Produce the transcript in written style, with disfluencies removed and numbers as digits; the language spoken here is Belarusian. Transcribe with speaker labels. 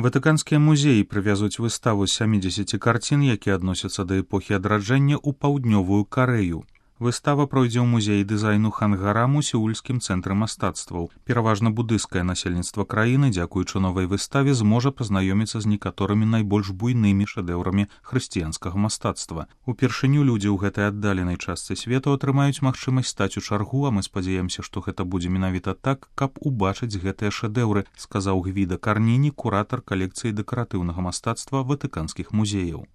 Speaker 1: Ватыканскія музеі прывязуць выставу з 70 карцін, якія адносяцца да эпохі адраджэння ў паўднёвую Карэю. Выстава пройдзе ў музеі дызайну Хангарам у сеульскім цэнтры мастацтваў. Пераважна будысцкае насельніцтва краіны, дзякуючы новай выставе, зможа пазнаёміцца з некаторымі найбольш буйнымі шэдэўрамі хрысціянскага мастацтва. Упершыню людзі ў гэтай аддаленай частцы свету атрымаюць магчымасць стаць у чаргу, а мы спадзяемся, што гэта будзе менавіта так, каб убачыць гэтыя шэдэўры, сказаў Гвіда Карніні, куратар калекцыі дэкаратыўнага мастацтва ватыканскіх музеяў.